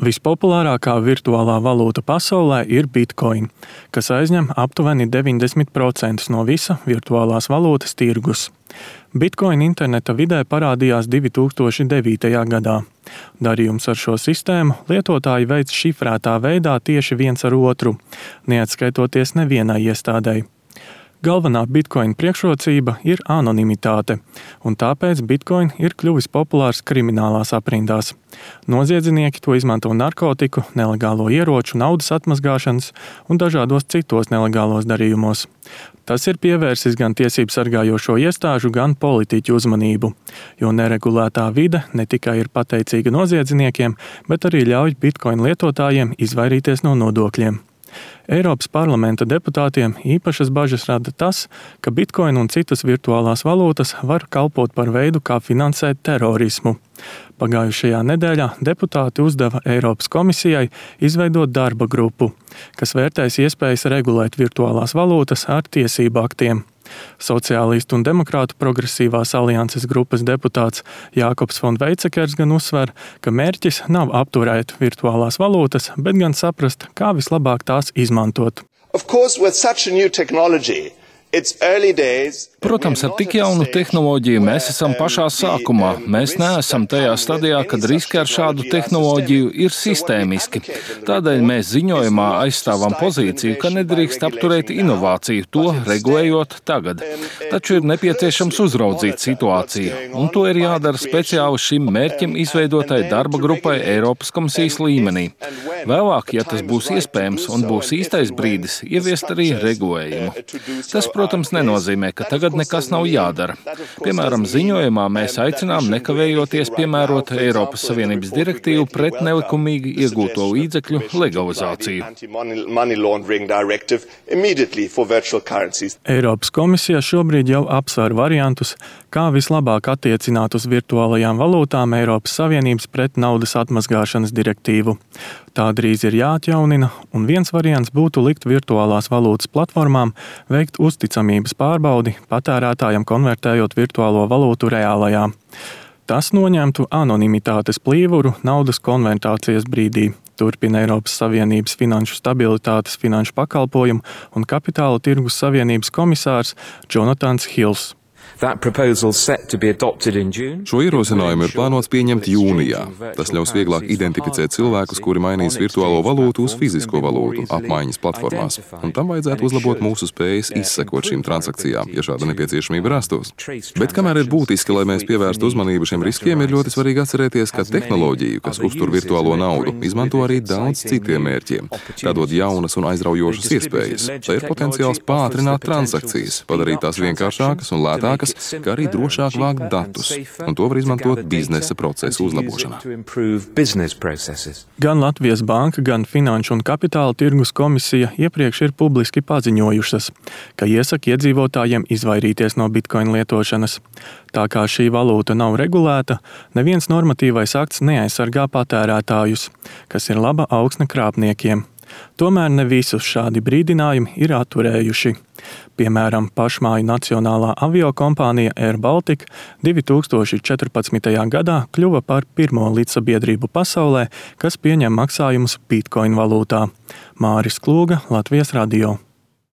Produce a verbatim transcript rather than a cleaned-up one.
Vispopulārākā virtuālā valūta pasaulē ir Bitcoin, kas aizņem aptuveni deviņdesmit procentus no visa virtuālās valūtas tirgus. Bitcoin interneta vidē parādījās divi tūkstoši devītajā gadā. Darījums ar šo sistēmu lietotāji veic šifrētā veidā tieši viens ar otru, neatskaitoties nevienai iestādei. Galvenā Bitcoin priekšrocība ir anonimitāte, un tāpēc Bitcoin ir kļuvis populārs kriminālās aprindās. Noziedznieki to izmanto narkotiku, nelegālo ieroču, naudas atmazgāšanas un dažādos citos nelegālos darījumos. Tas ir pievērsis gan tiesību sargājošo iestāžu, gan politiķu uzmanību, jo neregulētā vide ne tikai ir pateicīga noziedzniekiem, bet arī ļauj Bitcoin lietotājiem izvairīties no nodokļiem. Eiropas parlamenta deputātiem īpašas bažas rada tas, ka Bitcoin un citas virtuālās valūtas var kalpot par veidu, kā finansēt terorismu. Pagājušajā nedēļā deputāti uzdeva Eiropas komisijai izveidot darba grupu, kas vērtēs iespējas regulēt virtuālās valūtas ar tiesību aktiem. Sociālistu un demokrātu progresīvās alianses grupas deputāts Jākobs von Weizsäckers gan uzsver, ka mērķis nav apturēt virtuālās valūtas, bet gan saprast, kā vislabāk tās izmantot. Of course, with such a new technology, it's early days. Protams, ar tik jaunu tehnoloģiju mēs esam pašā sākumā. Mēs neesam tajā stadijā, kad riski ar šādu tehnoloģiju ir sistēmiski. Tādēļ mēs ziņojumā aizstāvam pozīciju, ka nedrīkst apturēt inovāciju, to regulējot tagad. Taču ir nepieciešams uzraudzīt situāciju, un to ir jādara speciāli šim mērķim izveidotai darba grupai Eiropas komisijas līmenī. Vēlāk, ja tas būs iespējams un būs īstais brīdis, ieviest arī regulējumu. Tas, protams, nenozīmē, ka tagad nekas nav jādara. Piemēram, ziņojumā mēs aicinām nekavējoties piemērot Eiropas Savienības direktīvu pret nelikumīgi iegūto līdzekļu legalizāciju. Eiropas komisija šobrīd jau apsver variantus, kā vislabāk attiecināt uz virtuālajām valūtām Eiropas Savienības pret naudas atmazgāšanas direktīvu. Tā drīz ir jāatjaunina, un viens variants būtu likt virtuālās valūtas platformām veikt uzticamības pārbaudi patērētājam konvertējot virtuālo valūtu reālajā. Tas noņemtu anonimitātes plīvuru naudas konvertācijas brīdī, turpina Eiropas Savienības finanšu stabilitātes, finanšu pakalpojumu un kapitāla tirgus savienības komisārs Jonatans Hills. Šo ierosinājumu ir plānots pieņemt jūnijā. Tas ļaus vieglāk identificēt cilvēkus, kuri mainīs virtuālo valūtu uz fizisko valūtu apmaiņas platformās, un tam vajadzētu uzlabot mūsu spējas izsekot šīm transakcijām, ja šāda nepieciešamība rastos. Bet kamēr ir būtiski, lai mēs pievērstu uzmanību šiem riskiem, ir ļoti svarīgi atcerēties, ka tehnoloģiju, kas uztur virtuālo naudu, izmanto arī daudz citiem mērķiem, tādot jaunas un aizraujošas iespējas. Tā ir potenciāls pātrināt transakcijas, padarīt tās vienkāršākas un lētākas, kā arī drošāk vākt datus, un to var izmantot biznesa procesu uzlabošanā. Gan Latvijas banka, gan Finanšu un kapitāla tirgus komisija iepriekš ir publiski paziņojušas, ka iesaka iedzīvotājiem izvairīties no Bitcoin lietošanas. Tā kā šī valūta nav regulēta, neviens normatīvais akts neaizsargā patērētājus, kas ir laba augsne krāpniekiem. Tomēr ne visus šādi brīdinājumi ir atturējuši. Piemēram, pašmāju nacionālā aviokompānija Air Baltica divi tūkstoši četrpadsmitajā gadā kļuva par pirmo līdzsabiedrību pasaulē, kas pieņem maksājumus Bitcoin valūtā. Māris Klūga, Latvijas radio.